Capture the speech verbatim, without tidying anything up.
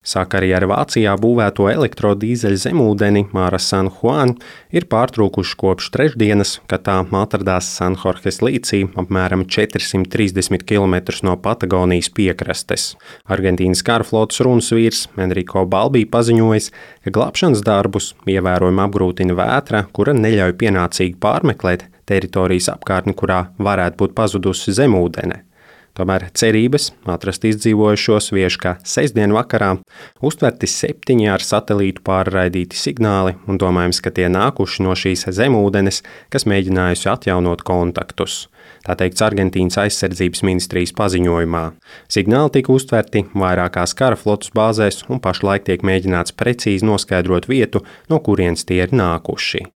Sakarī ar Vācijā būvēto elektrodīzeļu zemūdeni Mare San Juan ir pārtrūkuši kopš trešdienas, kad tā atradās Sanhorhes līcī, apmēram četrsimt trīsdesmit kilometrus no Patagonijas piekrastes. Argentīnas kara flotes runas vīrs Enrico Balbī paziņojis, ka glābšanas darbus ievērojami apgrūtina vētra, kura neļauj pienācīgi pārmeklēt teritorijas apkārtni, kurā varētu būt pazudusi zemūdene. Tomēr cerības atrast izdzīvojušos vieš, ka sestdien vakarā uztverti septiņi ar satelītu pārraidīti signāli un domājams, ka tie nākuši no šīs zemūdenes, kas mēģinājusi atjaunot kontaktus. Tā teikts Argentīnas aizsardzības ministrijas paziņojumā. Signāli tika uztverti vairākās kara flotes bāzēs un pašlaik tiek mēģināts precīzi noskaidrot vietu, no kurienes tie ir nākuši.